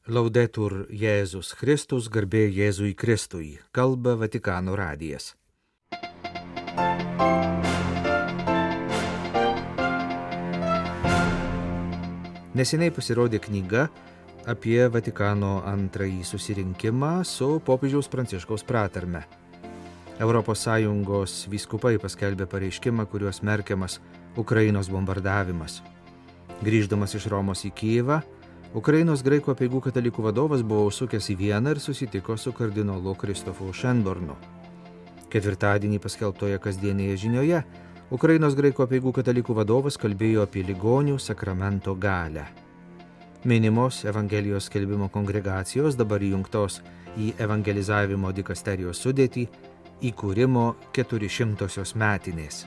Laudetur Jėzus Kristus, garbė Jėzui Kristui, kalba Vatikano radijas. Neseniai pasirodė knyga apie Vatikano antrąjį susirinkimą su popiežiaus Pranciškaus pratarme. ES vyskupai paskelbė pareiškimą, kuriuo smerkiamas Ukrainos bombardavimas. Grįždamas iš Romos į Kijevą, Ukrainos graikų apeigų katalikų vadovas buvo užsukęs į Vieną ir susitiko su kardinolu Kristofu Šenbornu. Ketvirtadienį paskelbtoje kasdienėje žinioje Ukrainos graikų apeigų katalikų vadovas kalbėjo apie ligonių sakramento galią. Minimos Evangelijos skelbimo kongregacijos, dabar įjungtos į evangelizavimo dikasterijos sudėtį, įkūrimo 400-osios metinės.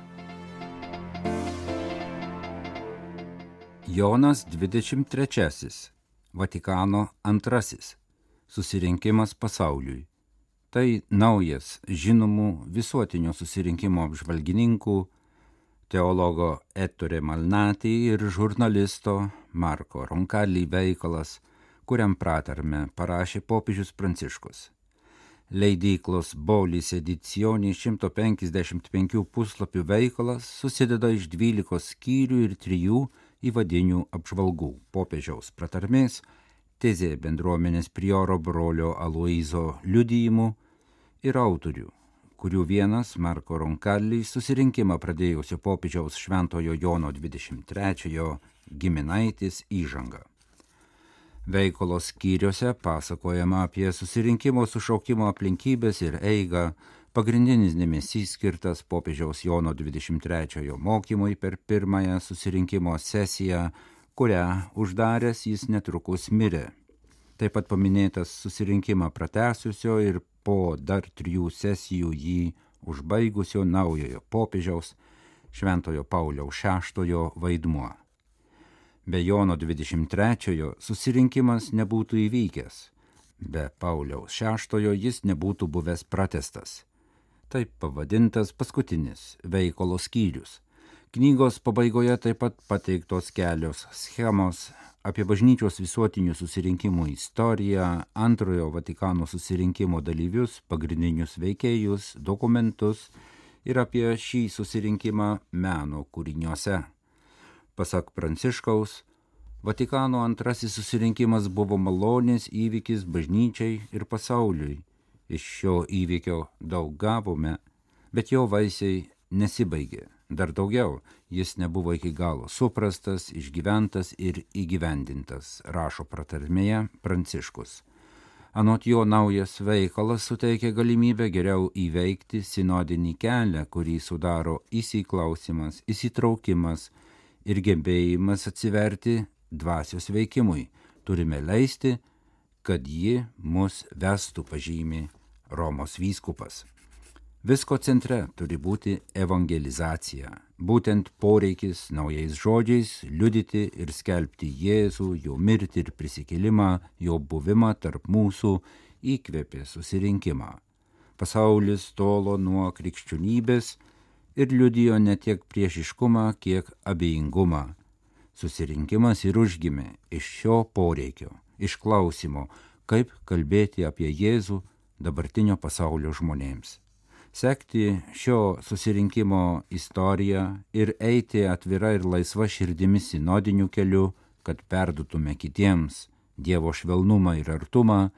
Jonas 23. Vatikano antrasis. Susirinkimas pasauliui. Tai naujas žinomų visuotinio susirinkimo apžvalgininkų, teologo Ettore Malnati ir žurnalisto Marko Roncalli veikalas, kuriam pratarme parašė popiežius Pranciškus. Leidyklos Bolis Edizioni 155 puslapių veikalas susideda iš 12 skyrių ir 3 įvadinių apžvalgų: popiežiaus pratarmės, tezė bendruomenės prioro brolio Aloizo liudijimų ir autorių, kurių vienas Marko Roncalli susirinkimą pradėjusio popiežiaus Šventojo Jono 23 giminaitis įžanga. Veikalos skyriuose pasakojama apie susirinkimo sušaukimo aplinkybės ir eigą. Pagrindinis dėmesys skirtas popiežiaus Jono 23 mokymui per pirmąją susirinkimo sesiją, kurią uždaręs jis netrukus mirė. Taip pat paminėtas susirinkimą pratęsusio ir po dar 3 sesijų jį užbaigusio naujojo popiežiaus Šventojo Pauliaus VI vaidmuo. Be Jono 23 susirinkimas nebūtų įvykęs, be Pauliaus VI jis nebūtų buvęs pratęstas. Taip pavadintas paskutinis veikalo skyrius. Knygos pabaigoje taip pat pateiktos kelios schemos apie bažnyčios visuotinių susirinkimų istoriją, antrojo Vatikano susirinkimo dalyvius, pagrindinius veikėjus, dokumentus ir apie šį susirinkimą meno kūriniuose. Pasak Pranciškaus, Vatikano antrasis susirinkimas buvo malonės įvykis bažnyčiai ir pasauliui. Iš šio įvykio daug gavome, bet jo vaisiai nesibaigė. Dar daugiau, jis nebuvo iki galo suprastas, išgyventas ir įgyvendintas, rašo pratarmėje Pranciškus. Anot jo naujas veikalas suteikia galimybę geriau įveikti sinodinį kelią, kurį sudaro įsiklausimas, įsitraukimas ir gebėjimas atsiverti dvasios veikimui. Turime leisti, kad ji mus vestų, pažymi Romos vyskupas. Visko centre turi būti evangelizacija, būtent poreikis naujais žodžiais liudyti ir skelbti Jėzų, jo mirtį ir prisikėlimą, jo buvimą tarp mūsų įkvėpė susirinkimą. Pasaulis tolo nuo krikščionybės ir liudijo ne tiek priešiškumą, kiek abejingumą. Susirinkimas ir užgimė iš šio poreikio, iš klausimo, kaip kalbėti apie Jėzų dabartinio pasaulio žmonėms. Sekti šio susirinkimo istoriją ir eiti atvira ir laisva širdimi sinodiniu keliu, kad perdutume kitiems Dievo švelnumą ir artumą,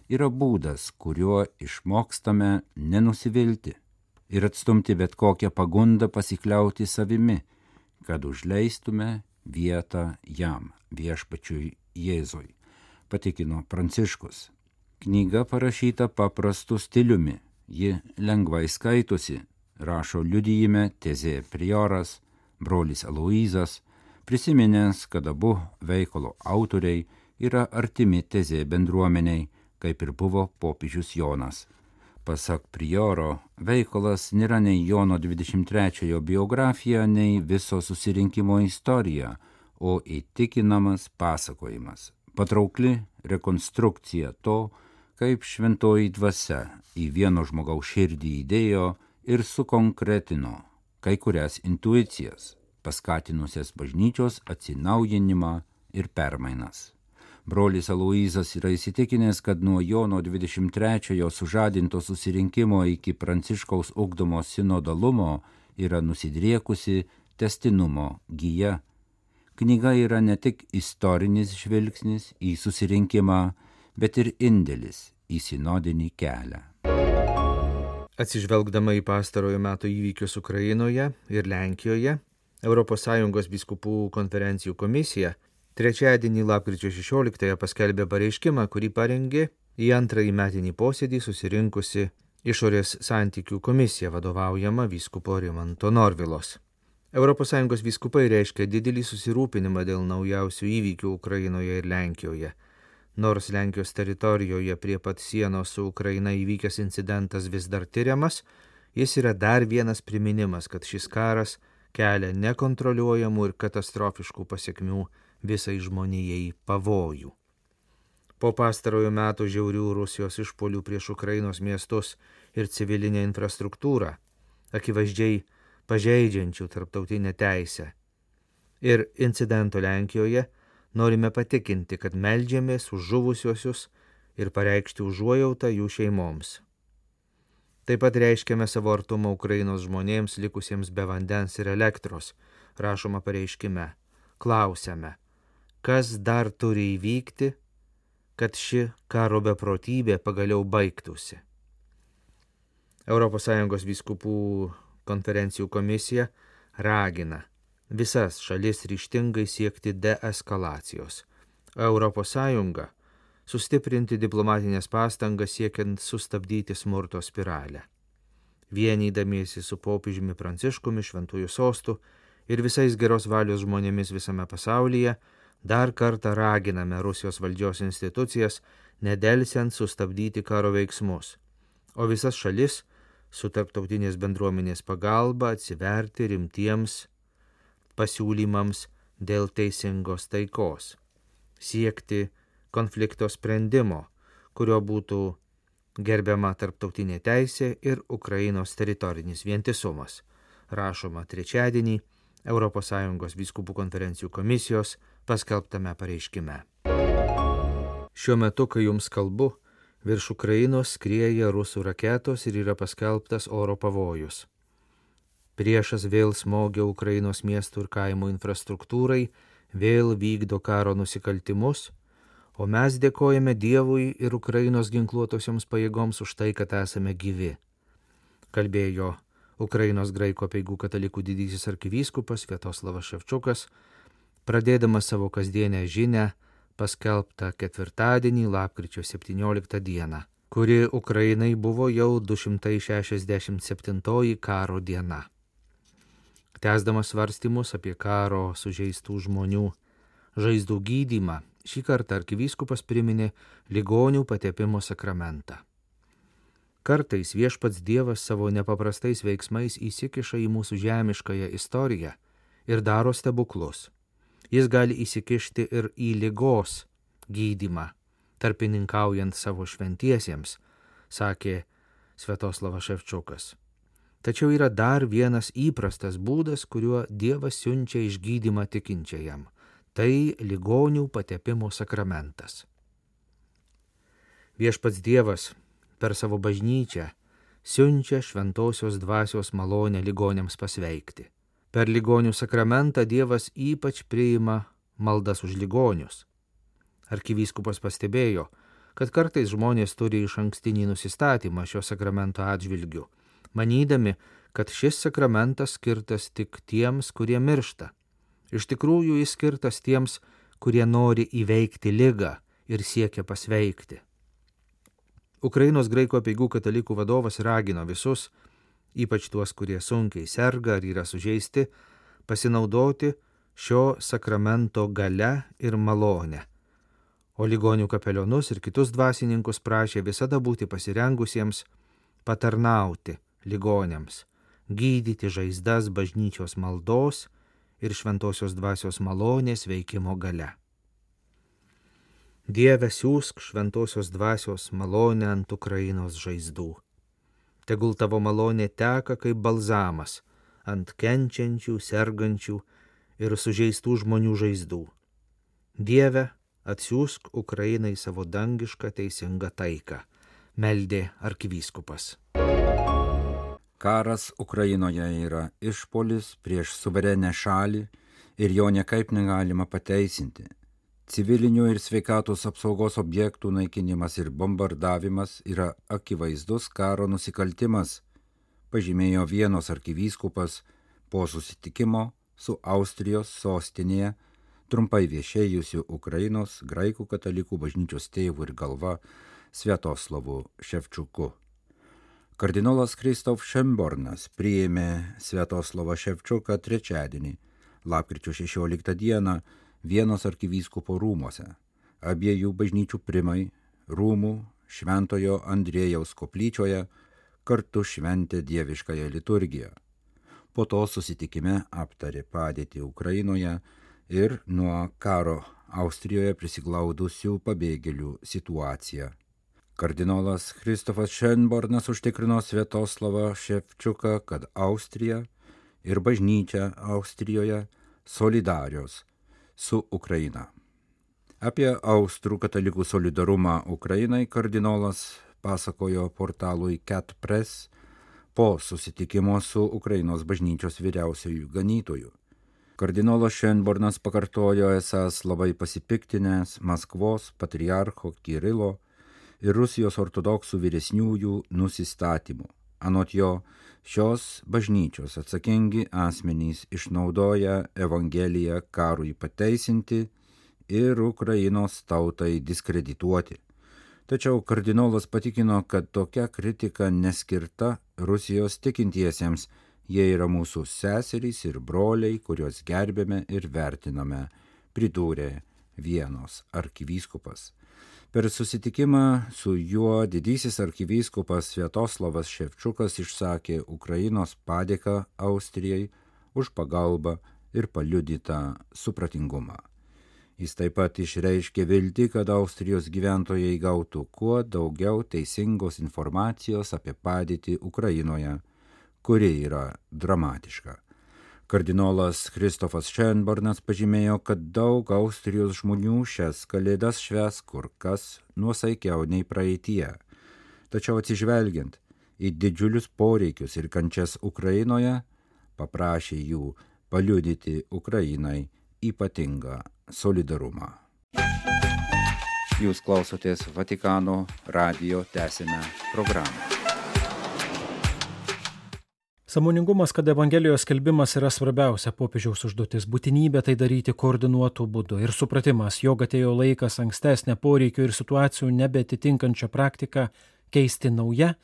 yra būdas, kuriuo išmokstame nenusivilti ir atstumti bet kokią pagundą pasikliauti savimi, kad užleistume vietą jam, viešpačiui Jėzui, patikino Pranciškus. Knyga parašyta paprastu stiliumi, ji lengvai skaitosi, rašo liudijime tezė prioras, brolis Aloizas, prisiminęs, kad abu veikalo autoriai yra artimi tezė bendruomeniai, kaip ir buvo popiežius Jonas. Pasak prioro, veikalas nėra nei Jono 23 biografija, nei viso susirinkimo istorija, o įtikinamas pasakojimas, patraukli rekonstrukcija to, kaip šventoji dvasia į vieno žmogaus širdį įdėjo ir sukonkretino kai kurias intuicijas, paskatinusias bažnyčios atsinaujinimą ir permainas. Brolis Aloyzas yra įsitikinęs, kad nuo Jono 23-ojo sužadinto susirinkimo iki Pranciškaus ugdomo sinodalumo yra nusidriekusi tęstinumo gija. Knyga yra ne tik istorinis žvilgsnis į susirinkimą, bet ir indėlis į sinodinį kelią. Atsižvelgdama į pastarojo metų įvykius Ukrainoje ir Lenkijoje, ES vyskupų konferencijų komisija trečiadienį lapkričio 16 paskelbė pareiškimą, kurį parengė į antrąjį metinį posėdį susirinkusi išorės santykių komisija vadovaujama vyskupo Rimanto Norvilos. ES vyskupai reiškia didelį susirūpinimą dėl naujausių įvykių Ukrainoje ir Lenkijoje. Nors Lenkijos teritorijoje prie pat sienos su Ukraina įvykęs incidentas vis dar tyriamas, jis yra dar vienas priminimas, kad šis karas kelia nekontroliuojamų ir katastrofiškų pasiekmių visai žmonijai pavojų. Po pastarojo metų žiaurių Rusijos išpuolių prieš Ukrainos miestus ir civilinę infrastruktūrą, akivaizdžiai pažeidžiančių tarptautinę teisę, ir incidento Lenkijoje, norime patikinti, kad meldžiamės už žuvusiuosius ir pareikšti užuojautą jų šeimoms. Taip pat reiškiame savo artumą Ukrainos žmonėms likusiems be vandens ir elektros, rašoma pareiškime. Klausiame, kas dar turi įvykti, kad ši karo beprotybė pagaliau baigtųsi. ES vyskupų konferencijų komisija ragina visas šalis ryžtingai siekti deeskalacijos. ES sustiprinti diplomatinės pastangas siekiant sustabdyti smurto spiralę. Vienydamiesi su popiežiumi Pranciškumi, Šventųjų sostų ir visais geros valios žmonėmis visame pasaulyje, dar kartą raginame Rusijos valdžios institucijas nedelsiant sustabdyti karo veiksmus, o visas šalis su tarptautinės bendruomenės pagalba atsiverti rimtiems pasiūlymams dėl teisingos taikos, siekti konflikto sprendimo, kurio būtų gerbiama tarptautinė teisė ir Ukrainos teritorinis vientisumas, rašoma trečiadienį ES vyskupų konferencijų komisijos paskelbtame pareiškime. Šiuo metu, kai jums kalbu, virš Ukrainos skrieja rusų raketos ir yra paskelbtas oro pavojus. Priešas vėl smogia Ukrainos miestų ir kaimų infrastruktūrai, vėl vykdo karo nusikaltimus, o mes dėkojame Dievui ir Ukrainos ginkluotosioms pajėgoms už tai, kad esame gyvi, kalbėjo Ukrainos graikų apeigų katalikų didysis arkivyskupas Sviatoslavas Ševčukas, pradėdamas savo kasdienę žinią paskelbtą ketvirtadienį, lapkričio 17 dieną, kuri Ukrainai buvo jau 267 karo diena. Tęsdamas svarstymus apie karo sužeistų žmonių žaizdų gydymą, šį kartą arkivyskupas priminė ligonių patepimo sakramentą. Kartais viešpats Dievas savo nepaprastais veiksmais įsikiša į mūsų žemiškąją istoriją ir daro stebuklus. Jis gali įsikišti ir į ligos gydymą, tarpininkaujant savo šventiesiems, sakė Sviatoslavas Ševčukas. Tačiau yra dar vienas įprastas būdas, kuriuo Dievas siunčia išgydymą tikinčiajam. Tai ligonių patepimo sakramentas. Viešpats Dievas per savo bažnyčią siunčia šventosios dvasios malonę ligoniams pasveikti. Per ligonių sakramentą Dievas ypač priima maldas už ligonius. Arkivyskupas pastebėjo, kad kartais žmonės turi išankstinį nusistatymą šio sakramento atžvilgiu, manydami, kad šis sakramentas skirtas tik tiems, kurie miršta. Iš tikrųjų jis skirtas tiems, kurie nori įveikti ligą ir siekia pasveikti. Ukrainos graikų apeigų katalikų vadovas ragino visus, ypač tuos, kurie sunkiai serga ar yra sužeisti, pasinaudoti šio sakramento galia ir malone. O ligonių kapelionus ir kitus dvasininkus prašė visada būti pasirengusiems patarnauti ligoniams, gydyti žaizdas bažnyčios maldos ir šventosios dvasios malonės veikimo galia. Dieve, siųsk šventosios dvasios malonę ant Ukrainos žaizdų. Tegul tavo malonė teka kaip balzamas ant kenčiančių, sergančių ir sužeistų žmonių žaizdų. Dieve, atsiųsk Ukrainai savo dangišką teisingą taiką, meldė arkivyskupas. Karas Ukrainoje yra išpuolis prieš suverenę šalį ir jo niekaip negalima pateisinti. Civilinių ir sveikatos apsaugos objektų naikinimas ir bombardavimas yra akivaizdus karo nusikaltimas, pažymėjo Vienos arkivyskupas po susitikimo su Austrijos sostinėje trumpai viešėjusiu Ukrainos graikų katalikų bažnyčios tėvu ir galva Sviatoslavu Ševčiuku. Kardinolas Krzysztof Szymbornas priėmė Sviatoslavą Ševčiuką trečiadienį, lapkričio 16 dieną, Vienos arkivyskupo rūmuose. Abiejų bažnyčių primai rūmų Šventojo Andriejaus koplyčioje kartu šventė dieviškąją liturgiją. Po to susitikime aptarė padėtį Ukrainoje ir nuo karo Austrijoje prisiglaudusių pabėgėlių situaciją. Kardinolas Krzysztofas Szymbornas užtikrino Sviatoslavą Ševčiuką, kad Austrija ir bažnyčia Austrijoje solidarios su Ukraina. Apie austrų katalikų solidarumą Ukrainai kardinolas pasakojo portalui Cat Press po susitikimo su Ukrainos bažnyčios vyriausiuoju ganytoju. Kardinolas Szymbornas pakartojo esąs labai pasipiktinęs Maskvos patriarcho Kirilo ir Rusijos ortodoksų vyresniųjų nusistatymų. Anot jo, šios bažnyčios atsakingi asmenys išnaudoja Evangeliją karui pateisinti ir Ukrainos tautai diskredituoti. Tačiau kardinolas patikino, kad tokia kritika neskirta Rusijos tikintiesiems, jie yra mūsų seserys ir broliai, kuriuos gerbėme ir vertiname, pridūrė Vienos arkivyskupas. Per susitikimą su juo didysis arkivyskupas Sviatoslavas Ševčiukas išsakė Ukrainos padėką Austrijai už pagalbą ir paliudytą supratingumą. Jis taip pat išreiškė viltį, kad Austrijos gyventojai gautų kuo daugiau teisingos informacijos apie padėtį Ukrainoje, kuri yra dramatiška. Kardinolas Krzysztofas Szymbornas pažymėjo, kad daug Austrijos žmonių šias kalėdas švęs kur kas nuosaikiau nei praeityje. Tačiau atsižvelgiant į didžiulius poreikius ir kančias Ukrainoje, paprašė jų paliudyti Ukrainai ypatingą solidarumą. Jūs klausotės Vatikano radijo, tęsime programą. Sąmoningumas, kad Evangelijos skelbimas yra svarbiausia popiežiaus užduotis, būtinybė tai daryti koordinuotų būdų ir supratimas, jog atėjo laikas ankstesnę poreikių ir situacijų nebetitinkančią praktiką keisti nauja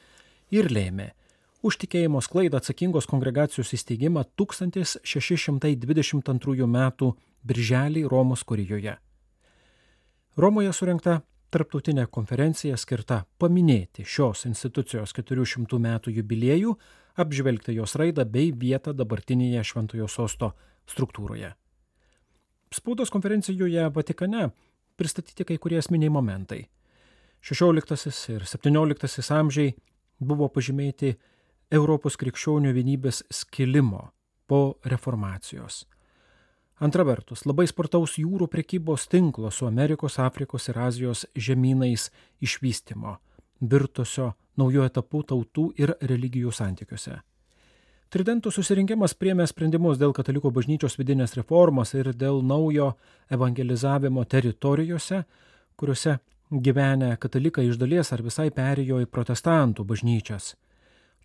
ir lėmė už tikėjimo sklaidą atsakingos kongregacijos įsteigimą 1622 metų birželį Romos kurijoje. Romoje surengta tarptautinė konferencija skirta paminėti šios institucijos 400 metų jubiliejų, apžvelgti jos raidą bei vietą dabartinėje Šventojo sosto struktūroje. Spaudos konferencijoje Vatikane pristatyti kai kurie esminiai momentai. 16 ir 17 amžiai buvo pažymėti Europos krikščionių vienybės skilimo po reformacijos. Antra vertus, labai spartaus jūrų prekybos tinklo su Amerikos, Afrikos ir Azijos žemynais išvystymo, virtusio naujų etapų tautų ir religijų santykiuose. Tridentų susirinkimas priėmė sprendimus dėl katalikų bažnyčios vidinės reformos ir dėl naujo evangelizavimo teritorijose, kuriuose gyvenę katalikai iš dalies ar visai perėjo į protestantų bažnyčias.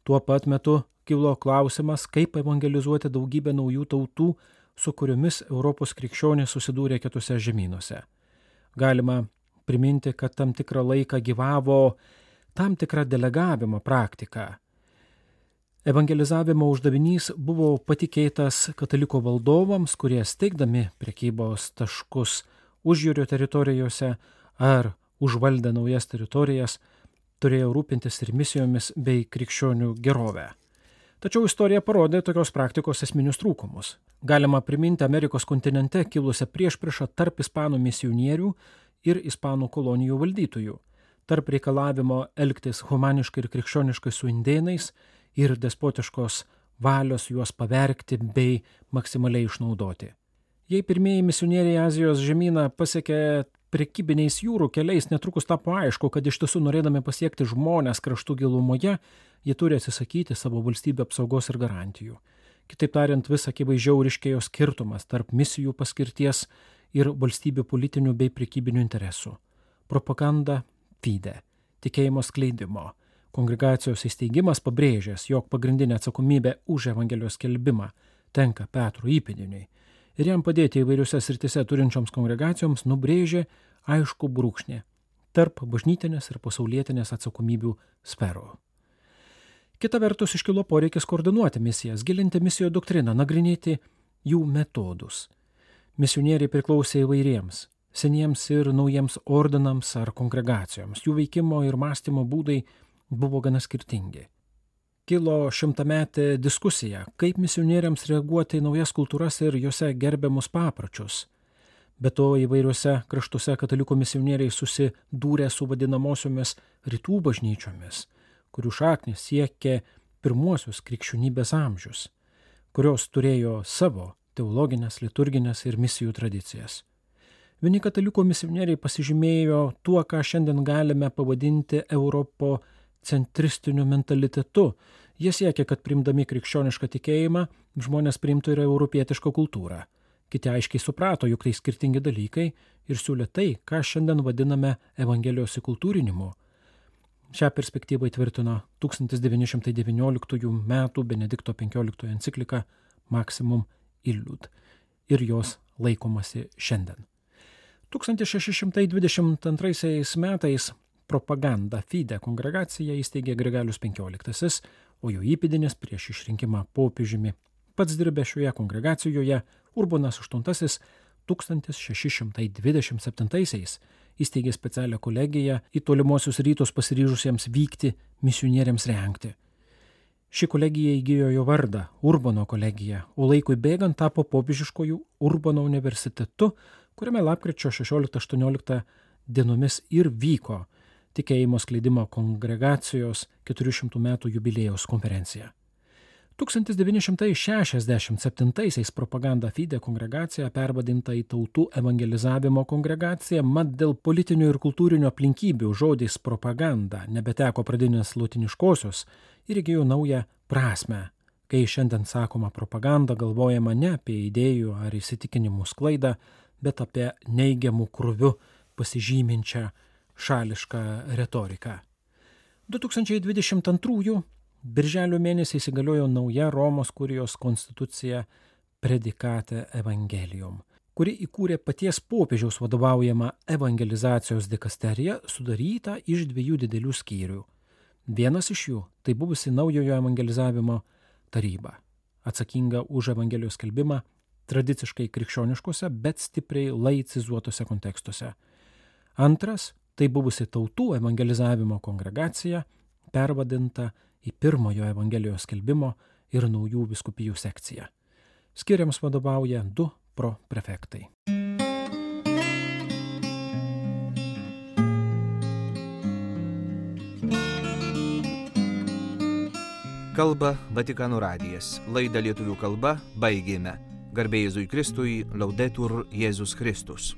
Tuo pat metu kilo klausimas, kaip evangelizuoti daugybę naujų tautų, su kuriomis Europos krikščionys susidūrė kitose žemynuose. Galima priminti, kad tam tikrą laiką gyvavo tam tikrą delegavimo praktiką. Evangelizavimo uždavinys buvo patikėtas kataliko valdovams, kurie steigdami prekybos taškus užjūrio teritorijose ar užvaldę naujas teritorijas, turėjo rūpintis ir misijomis bei krikščionių gerovę. Tačiau istorija parodė tokios praktikos esminius trūkumus. Galima priminti Amerikos kontinente kilusią priešpriešą tarp ispanų misionierių ir ispanų kolonijų valdytojų, tarp reikalavimo elgtis humaniškai ir krikščioniškai su indėnais ir despotiškos valios juos pavergti bei maksimaliai išnaudoti. Jei pirmieji misionieriai Azijos žemyną pasiekė prekybiniais jūrų keliais netrukus tapo aišku, kad iš tiesų norėdami pasiekti žmonės kraštų gilumoje, jie turi atsisakyti savo valstybių apsaugos ir garantijų. Kitaip tariant, vis akivaizdžiau ryškėjo skirtumas tarp misijų paskirties ir valstybių politinių bei prekybinių interesų. Propaganda fide, tikėjimo skleidimo. Kongregacijos įsteigimas pabrėžęs, jog pagrindinė atsakomybė už Evangelijos skelbimą tenka Petrui įpėdiniui ir jam padėti įvairiose srityse turinčioms kongregacijoms nubrėžė aišku brūkšnį tarp bažnytinės ir pasaulietinės atsakomybių sferų. Kita vertus iškilo poreikis koordinuoti misijas, gilinti misijų doktriną, nagrinėti jų metodus. Misionieriai priklausė įvairiems, seniems ir naujiems ordinams ar kongregacijoms. Jų veikimo ir mąstymo būdai buvo gana skirtingi. Kilo šimtametė diskusija, kaip misionieriams reaguoti į naujas kultūras ir juose gerbiamus papročius. Be to įvairiuose kraštuose katalikų misionieriai susidūrė su vadinamosiomis rytų bažnyčiomis, kurių šaknis siekė pirmuosius krikščionybės amžius, kurios turėjo savo teologinės, liturginės ir misijų tradicijas. Vieni katalikų misionieriai pasižymėjo tuo, ką šiandien galime pavadinti europocentristiniu mentalitetu. Jie siekia, kad priimdami krikščionišką tikėjimą, žmonės priimtų ir europietišką kultūrą. Kiti aiškiai suprato, jog tai skirtingi dalykai ir siūlė tai, ką šiandien vadiname Evangelijos įkultūrinimu. Šią perspektyvą įtvirtino 1919 m. Benedikto XV enciklika Maximum Illud ir jos laikomasi šiandien. 1622 metais Propaganda fide kongregaciją įsteigė Grigalius XV, o jo įpėdinis prieš išrinkimą popiežiumi pats dirbė šioje kongregacijoje Urbonas VIII 1627 įsteigė specialią kolegiją į tolimuosius rytus pasiryžusiems vykti misionieriams rengti. Ši kolegija įgijo jo vardą Urbono kolegija, o laikui bėgant tapo popiežiškojų Urbono universitetu, kuriame lapkričio 16-18 dienomis ir vyko tikėjimo skleidimo kongregacijos 400 metų jubiliejaus konferencija. 1967 Propaganda fide kongregacija pervadinta į tautų evangelizavimo kongregaciją, mat dėl politinių ir kultūrinių aplinkybių žodis propaganda nebeteko pradinės lotiniškosios ir įgijo naują prasmę. Kai šiandien sakoma propaganda, galvojama ne apie idėjų ar įsitikinimų sklaidą, bet apie neigiamų krūvių pasižyminčią šališką retoriką. 2022 birželio mėnesį įsigaliojo nauja Romos kurijos konstitucija Predikate Evangelium, kuri įkūrė paties popiežiaus vadovaujamą evangelizacijos dikasteriją, sudarytą iš 2 didelių skyrių. Vienas iš jų tai buvusi naujojo evangelizavimo taryba, atsakinga už Evangelijos skelbimą tradiciškai krikščioniškose, bet stipriai laicizuotose kontekstuose. Antras tai buvusi tautų evangelizavimo kongregacija, pervadinta į pirmojo Evangelijos skelbimo ir naujų vyskupijų sekciją. Skiriams vadovauja 2 proprefektai. Kalba Vatikano radijas. Laidą lietuvių kalba baigėme. Garbė Jėzui Kristui, Laudetur Jėzus Kristus.